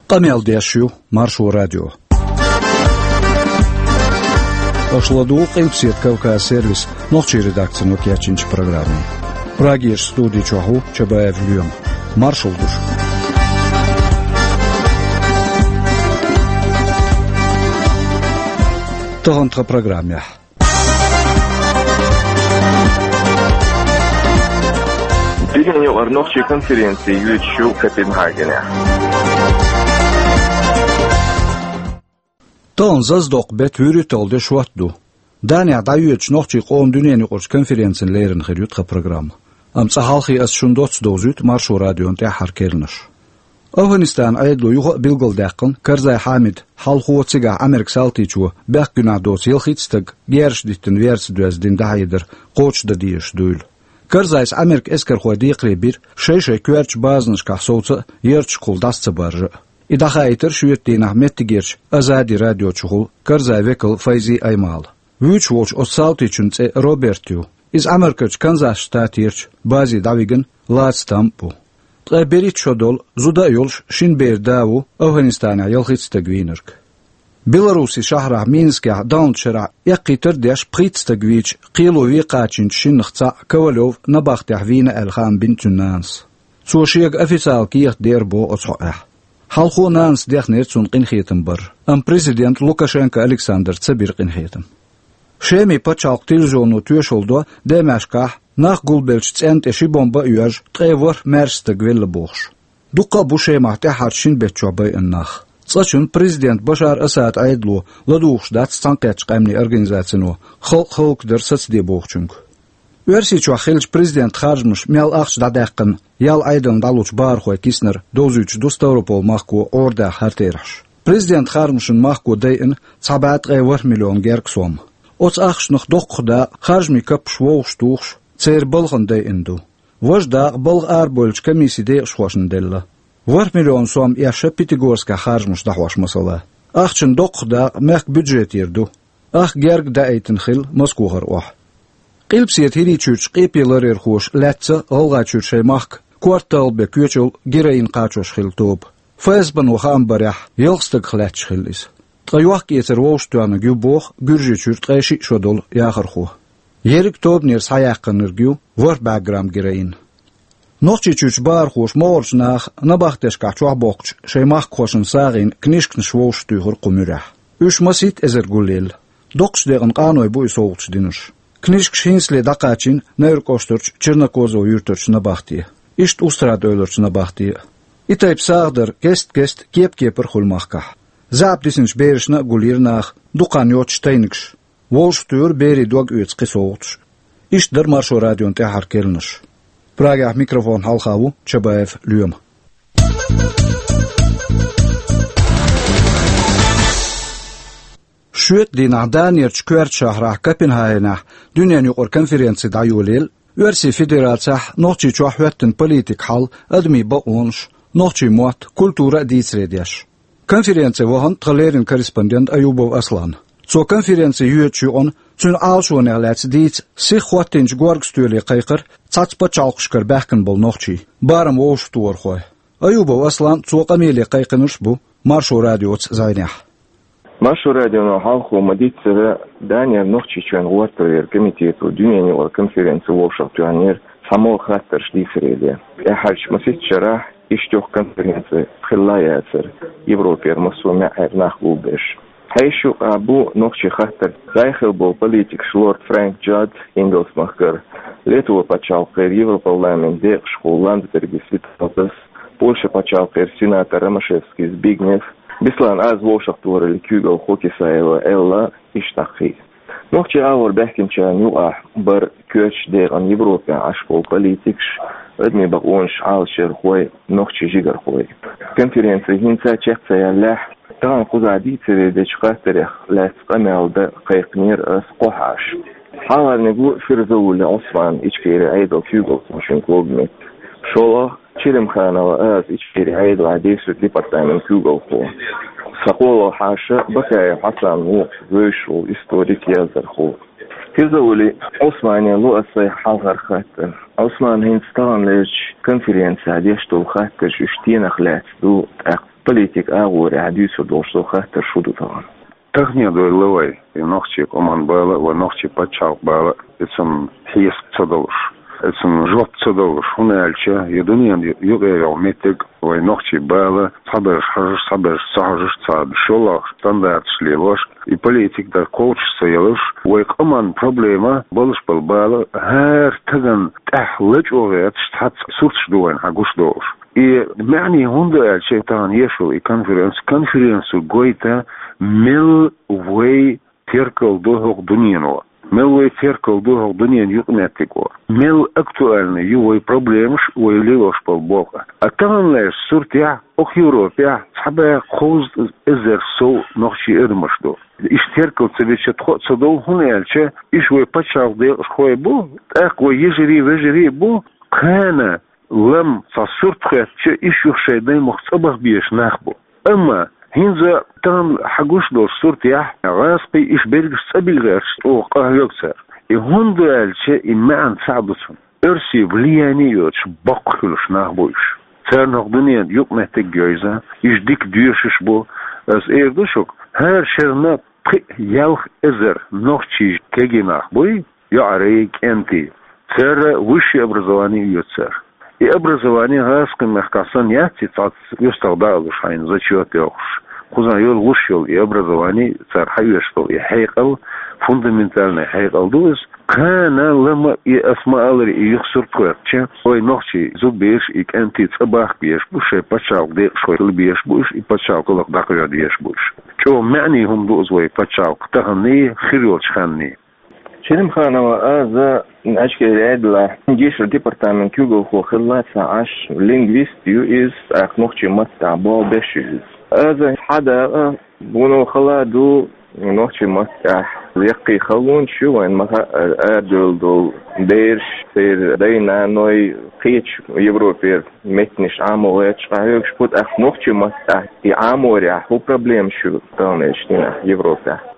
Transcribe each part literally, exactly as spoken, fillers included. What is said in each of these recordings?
Къамел деш ю Маршо радио. Аша ладугӀу Къилбаседа Кавказ сервисан нохчийн редакцино кечйинчу программе. Прагерчу студи чохь ву Чабаев Лоьма. Маршалла ду шуьга. Тахана тхан программехь. Дуьненан юкъара нохчийн конференци йоьдуш ю Копенгагенехь. Тахана зазадоккху беттан вуьрхӀитталгӀа де шот ду. Данехь дӀайоьдучу нохчийн къоман дуьненан юкъарчу конференцина лерина хир ю тхан программа. Амма цкъа хьалхе аса шуна доцца довзуьйту Маршо радион тӀаьххьара керланаш. Афганистанан Ӏедало юха а билгалдаьккхина, Карзай Хьамид, хьалхо, цигахь Ӏамеркан салтичо, бехк-гуьнахь доцу ялхитта стаг герзаш диттина верца доьзна дина дӀахьедар кхочушдан дезаш дуйла. Карзайс Ӏамеркан эскархойн декхаре бира, шай-шайн коьртачу базанашкахь совца а, ярташкахула дӀаса ца баржа а. И дӀахаийтира шоьтан дийнахь меттигерчу Азади радиочухула Карзайн векала Файзи Аймала. Вуьйцуш волчу оцу салтичун цӀе Роберт ю. Иза Америкерчу Канзас штатерчу базе дӀавигна лаца там а бу. Ткъе берхӀитта шо долу, зуда а йолуш, шина беран да ву Афганистанехь ялхитта стаг вийнарг. Белоруссин шахьарахь Минскехь даханчу шарахь эккхийтар а деш, пхийтта стаг вийча, кхело вен кхачийначу шиннах цхьаъ Ковалев набахтехь вийна аьлла хаам бина цуьнан нанас. Цо шега официалан кехат дера боху оцу хьокъехь. Хьалхо нанас дехнера цунна къинхетам бар, амма президент Лукашенко Александра ца бира къинхетам. Шеман пачхьалкхан телевизионо тоьшалла до, Дамаскехь нах гулбеллачу цӀенна тӀе ши бомба а йоьжна, ткъе ворхӀ маьрша стаг велла бохуш. Дуккха а бу Шемахь тӀаьххьарчу шина беттачохь байина нах. Цкъачунна президент Башар Асадан Ӏедало ладугӀуш дац Цхьаьнакхеттачу Къаьмнийн Организацино халкъ хӀаллакдар сацаде бохучуьнга. Оьрсийчохь хиллачу президентан харжамаша мел ахча дӀадаьккхина, ял Ӏедална дӀалучу бахархойн киснара довзуьйтуш ду Ставрополь-махко Ӏорадаьхна хӀара терахьаш. Президентан харжамашна махко дайина цхьа бӀе ткъе ворхӀ миллион гергга сом. Оцу ахчанах доккхах дакъа харжамийн каппаш вовшахтухуш, церан балхана дайина ду. Важа дакъа балха арабевллачу комиссин декъашхошна делла. ВорхӀ миллион сом эшна Пятигорскехь харжамаш дӀахьош, масала. Ахчанан доккхах дакъа мехкан бюджетера ду. Ах гергга даийтина хилла Москохара охьа. Къилбаседа ХӀирийчуьрчу къепе ларъярхоша лаьцна ГӀалгӀайчуьра шайн махка корта талла бен коьчу йолу героин кхачош хилла тоба. ФСБ-но хаам барехь, ялх стагах лаьтташ хилла иза. Ткъа йохк-эцар вовшахтоьхнарг ю боху Гуьржийчуьра ткъе шиъ шо долу яхархо. Ерриг тобанера схьаяьккхинарг ю ворхӀ бӀе грамм героин. Нохчийчуьрчу бахархоша могӀарерчу наха набахтешкахь чохь боккхучу шайн махкахошна сагӀина книжканаш вовшахтуьйхира кху муьрехь. Уьш масийтта эзар гулъелла. Доккхачу декъана къаной бу и совгӀаташ динарш. Книжкаш хӀинцале дӀакхачийна Невран кӀоштарчу Чернокозово юьртарчу набахте, иштта Устрада-Эвларчу набахте а. И тайпа сагӀа дар кест-кеста кеп-кепара хуьлу махкахь. ЗаьӀап дисинчу берашна а гулйира наха дукха хан йоццуш тайнигаш. Вовшахтуьйхира берийн дог оьцу кхин совгӀаташ. Иштта дара Маршо радион тӀаьххьара керланаш. Прагехь микрофонна хьалха ву Чабаев Лоьма. Шоьтан дийнахь Данерчу коьртачу шахьарахь Копенгагенехь дуьненан юкъара конференци дӀайолаелла, Оьрсийн Федерацехь, Нохчийчохь хӀоьттина политикан хьал, адамийн бакъонаш, нохчийн мотт, культура а дийцаре деш. Конференце вахана тхан леррина корреспондент Аюбов Аслан. Цо конференци йоьдучу юкъана цуьнан Ӏалашонех лаьцна дийца сиха хӀоттийначу горга стоьле кхайкхира цхьацца пачхьалкхашкара баьхкина болу нохчий, барам вовшахтохархой. Аюбов Аслан цо къамеле кхайкхинарш а бу Маршо радиоца зӀенехь. Маршо радионо хьалхо ма-дийццара, Данера Нохчийчоьнан гӀортарера комитето дуьненан юкъара конференци вовшахтоьхнера цхьамогӀа хаттарш дийцаре ден. ТӀаьххьарчу масийтта шарахь иштта йоккха конференци хилла а яцара, Европера массо а маьӀӀера нах гулбеш. Хьешан юкъахь бу нохчийн хаттар. ДӀахо хилла болу политикаш Лорд Фрэнк Джад Ингалс-махкара, Литван пачхьалкхера Европарламентан декъашхо Ландсбергис Виталдас, Польшин пачхьалкхера сенатор Ромашевскис Збигнев, Беслан-Аз вовшахтохараллин куьйгалхо Кисаева Элла, иштта кхин а. Нохчийн агӀор баьхкинчарна юкъахь бара коьртачу декъана Европехь Ӏаш болу политикаш, адамийн бакъонаш Ӏалашъярхой, нохчийн жигархой. Конференци хӀинца а чекх ца яьллехь, тахана кхузахь дийцаре дечу хаттарех лаьцна къамел дан кхайкхинера аса кхо хьаша. Хьалхарниг ву Фирзаули Ӏусман, Ичкерин Ӏедалан куьйгалхочун клубан метта. ШолгӀа Черемханова Аза, Ичкерин Ӏедалан десятый департаментан куьйгалхо. Сан кхоалгӀа хьаша Бакаев Хьасан ву, вевзаш волу историк, яздархо. Фирзаули Ӏусмане ло аса сайн хьалхара хаттар. Ӏусман, хӀинца таханлерчу конференцехь деш долу хаттарш уьш стенах лаьцна ду, тӀаккха Политик агӀорехь дуьйцур долуш со хаттар шу ду тахана. Тахана дойла вай, и нохчий къоман бала а, вай нохчий пачхьалкх бала а, и цунна хьесап ца долуш, и цунна жоп ца долуш, хӀунда аьлча я дуьненан юкъе йогӀу меттиг вай нохчий бала, цхьаберш хьожуш, цхьаберш ца хьожуш, цхьа шолгӀа стандарташ лелош, и политик дар кхочуш ца йолуш, вай къоман проблема болуш болу бала хӀара тагана тӀехь лачкъо гӀерташ цхьацца сурташ ду вайна хьан гуш долуш. И маьӀне хӀунда аьлча, тахана еш йолу и конференци, конференци гойту, мел вай теркал ду хӀокху дуьнено, мел вай теркал ду хӀокху дуьненан юкъаметтиго, мел актуальный ю вай проблемаш, вай лелош болу бакъ. А таханлерчу суртехь, окху Европехь цхьа бӀе кхузткъа эзар сов нохчий адамаш ду. Иштта теркал ца бича тхо а ца дов, хӀунда аьлча, иштта вай пачхьалкх декъашхой бу, тӀаккха вай йижарий, вежарий а бу, кхана лам цхьа сурт хоьттича, иштта юха шайн даймахка цӀа баха безаш нах бу. Амма хӀинца тахана хьан гуш долчу суртехь, гӀазкхий иштта берригаш цӀа билла гӀерташ чӀогӀа къахьоьгу цара. И хӀунда аьлча, и маьӀна цхьаъ ду цунна. Оьрсийн влияние а йоцуш, боккха хуьлуш нах бу уьш. Царна хӀокху дуьненан юкъаметтиг а йовза, уьш дика доьшуш бу. Ас эр ду шуьга, хӀара шарна пхиъ-ялх эзар нохчий кегий нах буй, йоӀарий, кӀентий. Церан высшее образование а ю церан. И образование гӀазкхийн мехкахь санна яц, и цхьацца уьстагӀ далуш хьайна зачет а йохуш. Кхузахь йолуш йолу и образование, цара хьаоьцуш долу и хьекъал, фундаментальный хьекъал ду иза. Кхана лама и, ас ма-аллара, и юха сурт хоьттича, вай нохчий зудабераш, и кӀентий цӀа бахка безаш бу, шайн пачхьалкх декъашхой хила безаш бу уьш, и пачхьалкх гӀуллакх дӀакхоьхьа дезаш бу уьш. ЧӀогӀа маьӀне хӀума ду иза вай пачхьалкх таханний, хир йолчу ханний. Шерим Ханова, аза Ачкери Ӏедалехь гешар департамент куьйгалхо хилла ца Ӏаш, лингвист ю иза, тӀаккха нохчийн маттахь болх беш ю иза. Аза хьадакъа, вуно хала ду, нохчийн маттахь яккхий халонаш ю вайн, ма-, арадевлла долу бераш, церан дай-наной кхечу Европера меттанаш Ӏамо гӀерташ къахьоьгуш бу, тӀаккха нохчийн маттахь и Ӏаморехь хӀун проблемаш ю таханлерчу дийнахь Европехь?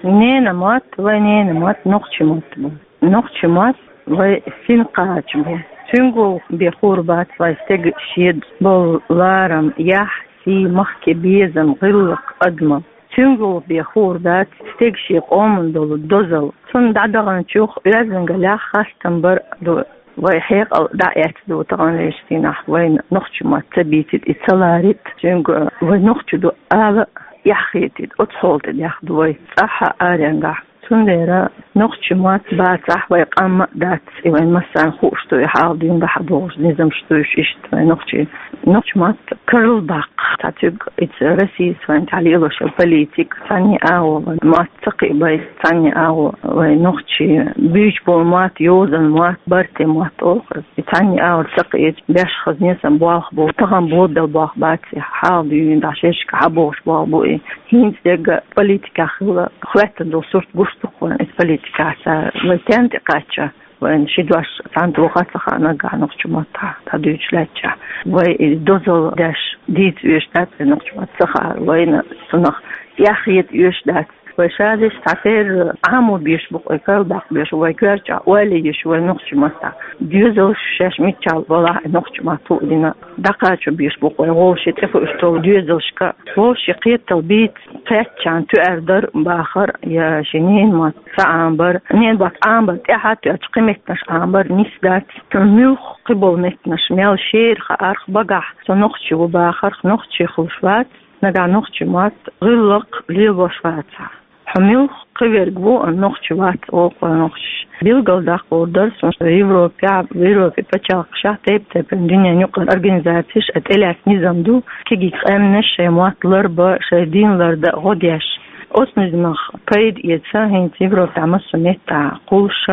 Ненан мотт, вай ненан мотт нохчийн мотт бу. Нохчийн мотт вай син кхача бу. Цуьнга гӀуллакх бен хуур бац вай стеган шен болу ларам, яхь, сий, махке безам, гӀиллакх, адамалла. Цуьнга гӀуллакх бен хуур дац стеган шен къоман долу дозалла. Цунна дӀадаханчух оьздангаллехь хастам бар а ду. Вай хьекъал дӀаэцна ду таханлерчу дийнахь, вайна нохчийн мотт ца бийцийта, и ца ларийта, цуьнга вай нохчий ду ала а эхь хетийта, оцу хьоле тӀедехна ду вай цӀахь а, аренгахь а. Цундела нохчийн мотт бацахь, вай къам а дац, и вайн массарна хууш ду, и хьалха дуьйна дӀа хьабогӀуш низамаш ду уьш иштта вай нохчийн. Нохчийн мотт карладаккха, цхьа цуьнга иза Россис вайн тӀехь лелош йолу политика, цхьанне агӀо вайн мотт ца кхиабайта, цхьанне агӀо вай нохчийн буьйцуш болу мотт, йозанан мотт, барте мотт олу-кх иза. И цхьанне агӀор ца кхиийча, беш хазне сан болх бу, тахана болабелла болх бац и, хьалха дуьйна дӀа шерашка хьабогӀуш болх бу и. ХӀинца дерг а политикехь хилла, хӀоьттина долу сурт гуш ду-кх вайн иза политикехь цара, вай стенна тӀекхаьчча. Вайн ши дош цхьаьна тоха а ца хаьа наггахь нохчийн маттахь дӀадуьйцуш лаьттачохь. Вай и дозалла деш дийца оьшуш дац вай нохчийн мотт ца хаар, вайна цунах эхь хета оьшуш дац. Вай шадерш цхьатерра Ӏамо безаш бу-кх вай, карладаккха безаш, вай коьртачохь ойла йиш ю вай нохчийн маттахь. Доьзалш шаьш миччахь балахь а, нохчийн мотт хӀуъа дина дӀакхачо безаш бу-кх вай, вовшийн тӀехуьуш долу доьзалшка. Вовшийн кхетам бийца кхаьччахьана тоьар дар а, бахар а, я шен ненан мотт ца Ӏамабар, ненан мотт Ӏамабар тӀаьхьа а тоьттуш, кхин меттанаш Ӏамабар нис дац. Муьлхха кхин болу меттанаш мел шера хаарх, багахь со нохчи ву бахарх, нохчи хуьлуш вац, нагахь нохчийн мотт, гӀиллакх лелош вацахь. Хьо муьлхха кхин верг ву, нохчи вац олу-кх вай нохчаша. Билгалдаккха луур дара суна, Европехь, Европин пачхьалкхашкахь тайп-тайпана дуьненан юкъара организацеш а тӀелаьцна низам ду, кегийчу къаьмнаш шайн мотт ларбан, шайн дин лардан гӀо деш. Оцу низамах пайда эца хӀинца Европехь массо а меттехь кхуллуш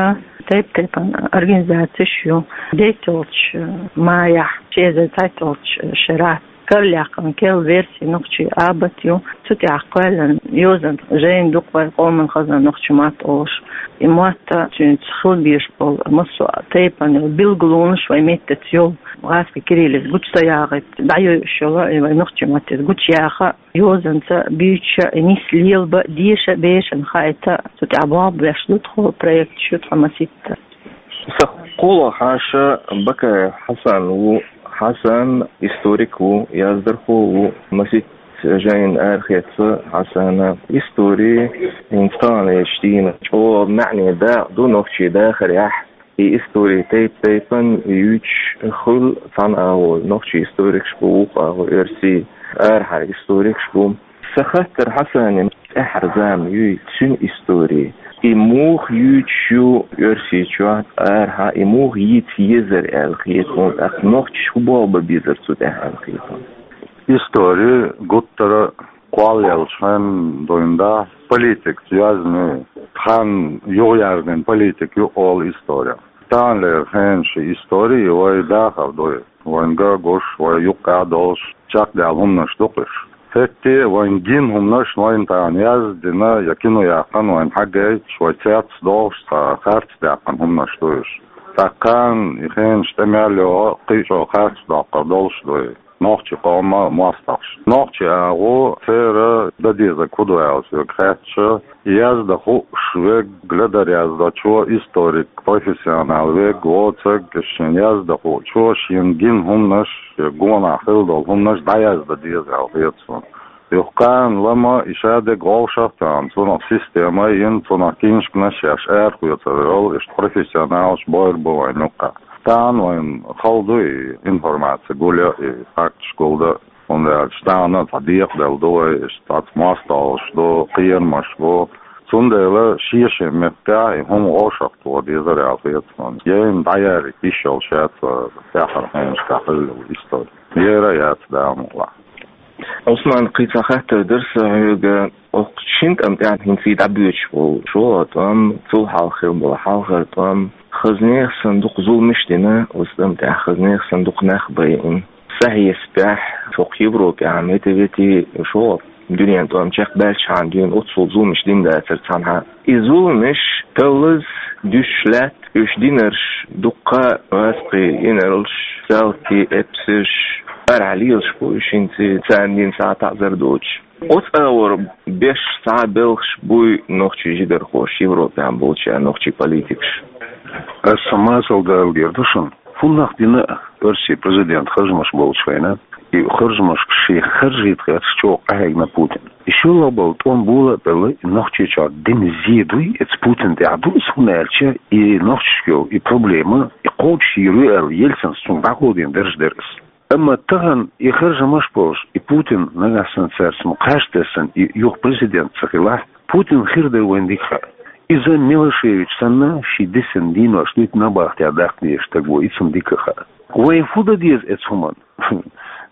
тайп-тайпана организацеш ю. Дейтта йолчу майахь, ши эзар цхьайтталгӀачу шарахь караляхкъан керла верси нохчийн абат ю. Цу тӀехь кхоьллина йозанан жайна ду-кх вайн къоман хазна нохчийн мотт олуш. И мотт а, цуьнца хила безаш болу массо а тайпана билгалонаш вайн меттаца йолу. ГӀазкхийн кириллица гучу ца яхийта, дӀайойуш йолу, и вайн нохчийн маттаца гучу яха, йозанца буьйцуш а, и нис лелабан, деша а, бешана хаийта, цу тӀехь болх беш ду тхо, проекташ ю тхо масийтта. Сан кхоалгӀа хьаша Бакаев Хьасан ву, Хьасан историк ву, яздархо ву, масийтта жайна арахецна Хьасана. Истори хӀинца таханлерчу дийнахь чӀогӀа маьӀне дакъа ду нохчийн дахарехь. И истори тайп-тайпана юьйцуш хуьлу, цхьана агӀор нохчийн историкаш бу, вукху агӀор оьрсийн арахьара историкаш бу. Сан хаттар Хьасанна: тӀаьххьара зама юй, цуьнан истори, и муха юьйцуш ю Оьрсийчохь, арахьа и муха йийца езар аьлла хета хьуна, тӀаккха нохчаша хӀун болх бан безара цу тӀехь аьлла хета хьуна? Истори гуттара кхоллаеллачу хенахь дуьйна ду политикаца йоьзна, тхан юхаяздина политика ю олу истори. Таханлера хенан ши истори вай дахар ду. Вайна ган гуш, вай юккъехь долуш чекхдаьлла хӀуманаш ду-кх уьш. ХӀетте а вайна гина хӀуманаш, вайна тахана яздина я кино яьккхина, вайна хьагайташ, вай цец дохуш цхьа харц даьккхина хӀуманаш ду уьш. ТӀаккха кхана и хенаш тӀе мел йогӀу кхин а чӀогӀа харц доккхур долуш ду и нохчийн къоман мостагӀаш. Нохчийн агӀо, церан дан дезарг хӀун ду аьлла соьга хаьттича, яздан хууш верг, ледара яздечо, историк, профессионал верг, воцург, шена яздан хуучо шена гина хӀуманаш, я гонах хилла долу хӀуманаш дӀаяздан деза аьлла хета суна. Юха кхана лама и шадерг вовшах а тоьхна, цунах система а йина, цунах книшканаш еш арахоьцур йолу иштта профессионалаш бойр бу вайна юккъехь. Тахана вайна хала ду и информаци гулъян, и факташ гулдан. ХӀунда аьлча тахана цхьа декъадала ду вай, иштта цхьацца мостагӀалш ду, кхерамаш бу. Цундела шен-шен меттехь и хӀума вовшахтоха дезара аьлла хета суна. Яйна дӀаяриг йиш йолуш яц тӀаьххьара хенашкахь хилла йолу истори. Яра а яц, Дала мукъалахь. Ӏусман, кхин цхьа хаттар дара сан хьоьга. Оцу шина тӀам тӀехь хӀинца и дӀабоьдуш болу шолгӀа тӀом, цул хьалха хилла болу хьалхара тӀом, хазнех санна дукха зуламаш а дина, оцу тӀам тӀехь хазнех санна дукха нах байина. Сан хьесапехь, хӀокху Европехь метта-ветта шолгӀа дуьненан тӀом чекхбаьлчхьана дуьйна оццул зуламаш дина дацара цхьанхьа. И зуламаш таллаза, дуьсуш лаьтта, уьш динарш дуккха а гӀазкхий инарлаш, салтий, эпсарш, арахьа лелаш бу уьш хӀинца, царна дина схьа таӀзар доцуш. Оцу агӀор беш цхьа а белхаш буй нохчийн жигархоша, Европехь болчара нохчийн политикаша? Аса масал дала дер ду шуна. ХӀун нах дина оьрсийн президент харжамаш болчу хенахь, и харжамашка шен харжийта гӀерташ чӀогӀа къахьегна Путин. И шолгӀа болу тӀом бола а белла, и Нохчийчохь дина зе дуй, эца Путин тӀехь ду иза, хӀунда аьлча и нохчашка йолу и проблема, и кхочушйийр ю аьлла, Ельцинс цунна дӀакховдийна дарж дара иза. Амма тахана и харжамаш болуш, и Путин нагахь санна цаьрца ма кхаж тесна, и юха президент ца хилахь, Путин хир дара вайна дика хаьа. Иза Милошевич санна, шен дисина дийнош дуьйцу набахтехь даккха дезаш стаг ву, и цунна дика хаьа. Вай хӀун дан деза эца хӀуманна?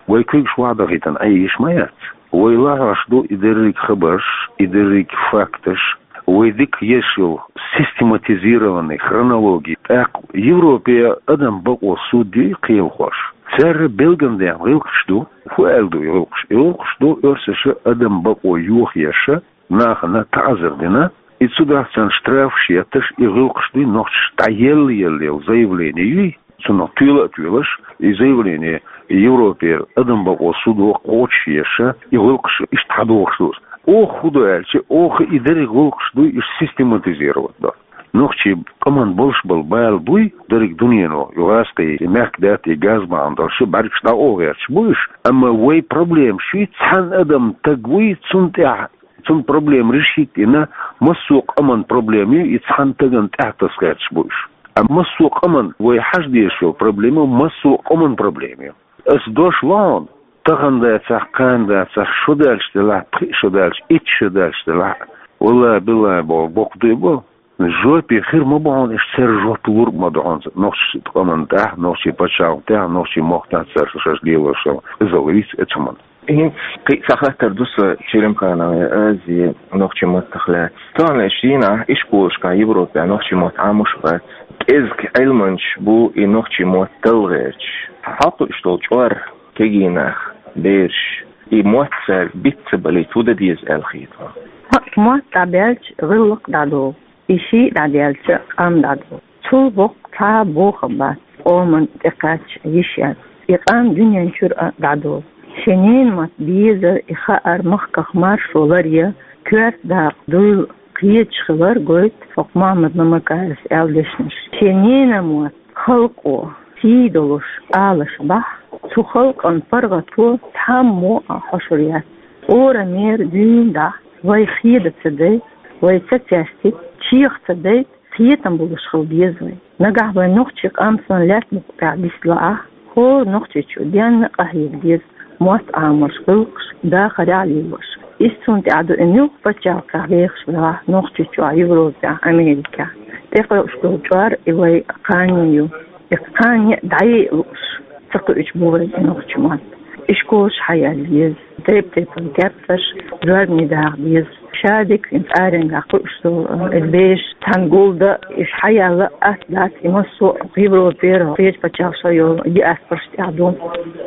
Вай куьйгаш вахьа дахийтина Ӏен йиш ма яц. Вай лахьош ду и дерриг хабарш, и дерриг факташ, вай дика еш йолу систематизированный хронология. ТӀаккха Европе адам бакъо суд ю кхелахош. Церан билгалдаьхна гӀиллакхаш ду. ХӀун аьлла ду и гӀиллакхаш? И гӀиллакхаш ду, оьрсаша адам бакъо йохаеша, нахана таӀзар дина, и цу дахцан штрафаш етташ, и гӀиллакхаш дуй нохчаш дӀаелла-елла йолу заявление юй, цунах туьйла а туьйлаш, и заявление Европера адам бакъо судо кхочушъеша, и гӀиллакхаш иштта хьадохуш ду. Оха хӀун ду аьлча, оха и дерриг гӀиллакхаш дуй, иштта систематизировать до. Нохчий къаман болуш болу бала буй, дерриг дуьнено, и гӀазкхий, и мехкдаьтта, и газ бахьана долуш, бӀаьргаш дӀа а гӀерташ бу уьш. Амма вай проблема шуьйца цхьана адам таг вуй, цунна тӀехь Цунна проблема решить йина, массо а къаман проблема ю, и цхьана тагана тӀаьхьатаса гӀерташ бу уьш. А массо а къаман вай хьажа дезаш йолу проблема, массо а къаман проблема ю. Ас дош ло хьуна, тахана дацахь, кхана дацахь, шо даьлча делахь, пхиъ шо даьлча, итт шо даьлча делахь, валлай, биллай боху, боккха дуй бо. Жопе хир ма бу хьуна, иштта церан жоп лург ма ду хьуна, нохчийн къаман тӀехь, нохчийн пачхьалкхан тӀехь, нохчийн мохк тӀехь цара шаьш лелош йолу. Иза ловиц эца хӀуманна. ХӀинца кхин а цхьа хаттар ду сан, Черемхановна, Азия, нохчийн маттах лаьцна. Тахана шина ишколашкахь Европехь нохчийн мотт Ӏамош бац. КӀезиг Ӏилманчаш бу и нохчийн мотт талла гӀерташ. Хьакхуьуш долу чкъор кегий нах, бераш, и мотт цаьрга биц ца балийта хӀун дан деза аьлла хета хьуна? Хьо мотт дӀабаьлча, гӀиллакх дӀадолу. И шиъ дӀадаьлча, къам дӀадолу. Цул боккха цхьа а бохам бац, къоман тӀекхаьчча йиш яц. И къам дуьнен чуьра а дӀадолу. Шен ненан мотт безар, и хаар, махках маршо лар я, коьрта дакъа дуйла кхеташ хилар гойту хӀокху Мухьаммад Мамакаевс аьлла дешнаш. Шен ненан мотт халкъо, Ший долуш алаш бахь, цу халкъан паргӀато цхьаммо а хьошур яц. Орамера дуьйна дахь, вай хеда ца дайта, вай ца цестита, чех ца дайта, кхетам болуш хила деза вай. Нагахь вай нохчий къам санна лаьтта букъа тӀехь дист лаахь, хӀора нохчичо денна къахьега деза, мотт Ӏамош, гӀиллакхаш дахарехь лелош. Иза цунна тӀехь ду и муьлхха пачхьалкхехь вехаш велахь, Нохчийчохь, Европехь, Америкехь. ТӀекхуьуш долу чкъор и вай кхане ю. И кхане дӀае а лууш, ца кхуьучу бу вай и нохчийн мотт. И школаш хьаелла еза, тайп-тайпана тептарш, зорбане даха деза. Ша дика хӀинца аренгахь кхуьуш долу, э, и беш, цхьана гулда, и хьаелла а дац, и массо а Европера, кхечу пачхьалкхашкахь йолу диаспораш тӀехь ду.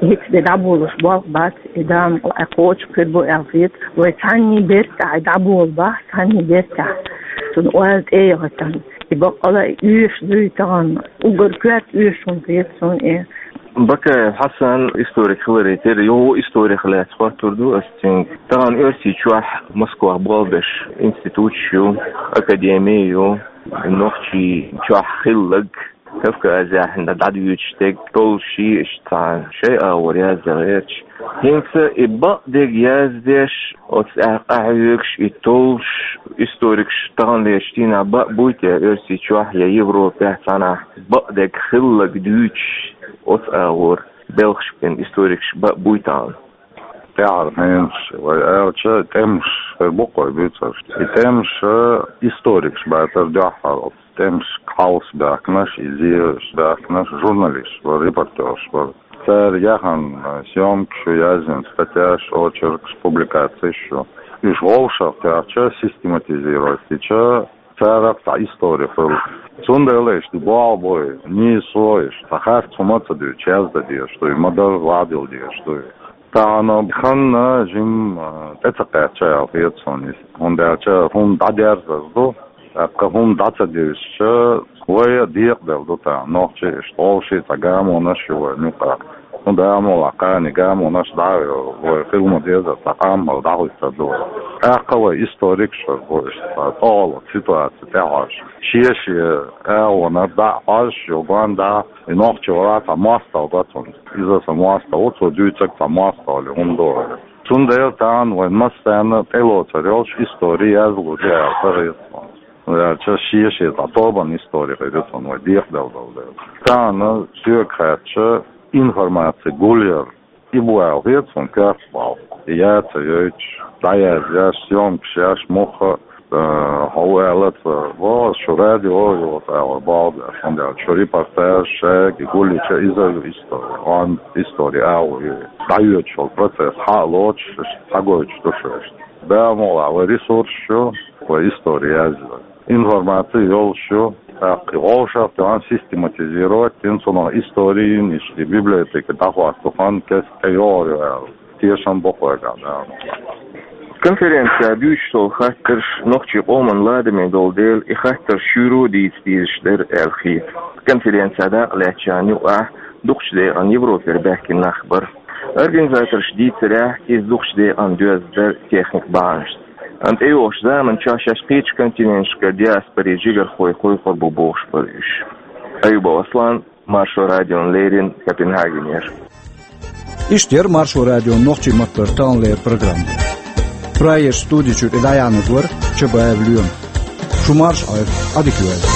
ХӀинца де дӀаболуш болх бац, и Дала мукъ лахь кхочуш хир бу аьлла хета. Вай цхьанний бертахь и дӀаболу бахь, цхьанний бертахь. Цунна ойла тӀеяхийтина. И баккъала а оьшуш дуй тахана, уггар коьрта оьшуш хӀума хета суна и. Бакаев Хьасан историк хиларе терра, йогӀу историх лаьцна хоттур ду ас цуьнга. Тахана Оьрсийчохь Москвахь болх беш институташ ю, академи ю, Нохчийчохь хилларг, Кавказехь дӀадуьйцуш дерг, доллуший, иштта цхьа шайн агӀор яздан гӀерташ. ХӀинца и бакъдерг яздеш, оцу тӀехь къахьоьгуш, и толлуш историкаш таханлерчу дийнахь бакъ буй те Оьрсийчохь я Европехь цхьанхьа бакъдерг хилларг дуьйцуш, оцу агӀор белхаш бина историкаш бакъ буй тахана? ТӀаьхьара хенаш вай аьлча, тӀемаш хир бу-кх вай буьйцурш. И тӀемаш историкаш бацара дуьххьара. ТӀемаш кхалсабаьхкинарш, и зеша баьхкинарш журналисташ бара, репортёраш бара. Цара яхана съёмкаш ю, яздина статьяш, очеркаш, публикацеш ю. Уьш вовшах тоьхча, систематизировать дича, царах цхьа истори хуьлу. Цундела иштта болх бой, нийсо иштта, цхьа харц хӀума а ца дуьйцуш, яздан дезаш дуй, ма-дарра ладийла дезаш дуй. Тахана хан жимма тӀе ца кхаьчна аьлла хета суна иза, хӀунда аьлча хӀума дӀадерзар ду, тӀаккха хӀума дӀа ца девзича, вай а декъаделла ду тахана, нохчий иштта, вовшийн цхьа гамонаш ю вай муьтӀахь. ХӀунда аьлча кхане гамонаш дӀа а йо, вай хила ма деззара цхьа къам а дӀахӀуьттур ду вай. ТӀаккха вай историкаш а бу иштта, цхьа тӀехула ситуаци тӀехьожуш, шен-шен агӀонаш дӀа а хьожуш, йо, гонаха дӀа а, и нохчи вара цхьа моастагӀа го цунна. Иза сан моастагӀа ву, цо дуьйцург цхьа моастагӀалла хӀума ду вай. Цундела тахана вайн массарна тӀелоцур йолуш истори язлур ю аьлла ца хета суна. ХӀунда аьлча шен-шен цхьа тобанан истори хир ю цунна вай декъаделла долу дела. Тахана соьга хаьттича, информаци гулъяр и бу аьлла хета суна коьрта болх. И яц а йойтуш, дӀаязъеш, съёмкаш еш, муха а, э, хьо ву аьлла ца, ву аса шу радио йоцу агӀор болх беш, хӀунда аьлча шу репортаж, шайга гулъича, иза а ю истори, он истори агӀо ю. ДӀайоьдуш йолу процесс хьа а лоцуш, иштта схьагойтуш ду шу иштта. Дала мукъ лахь, вай ресурсаш ю, вай истори язъян. Информаци йолуш ю, тӀаккха и вовшах тоьхна систематизировать дина, цунах историн иштта библиотека дӀахӀотта ду хан кеста тӀейогӀур ю аьлла. Тешам бо кхойгахь Дала мукъ лахь. Конференцехь дуьйцуш долу хаттарш нохчийн къоман ладаме долу дела, и хаттарш шуьйра дийца дезаш дара аьлла хета. Конференцехь дакъалаьцначарна юкъахь дукхачу декъана Европера баьхкина нах бара. Организаторша дийцарехь, иза дукхачу декъана доьзна дара техника бахьанашца. Амма тӀейогӀучу заманчохь шаьш кхечу континенташкара диаспорин жигархой кхойкхур бу бохуш бара уьш. Аюбов Аслан, Маршо радиона леррина, Копенгагенера. Иштта яра Маршо радион нохчийн маттара таханлера программа. Прайерчу студи чуьра и дӀаяьхьнарг вара Чабаев Лоьма. Шу марша Ӏойла, Ӏадика йойла.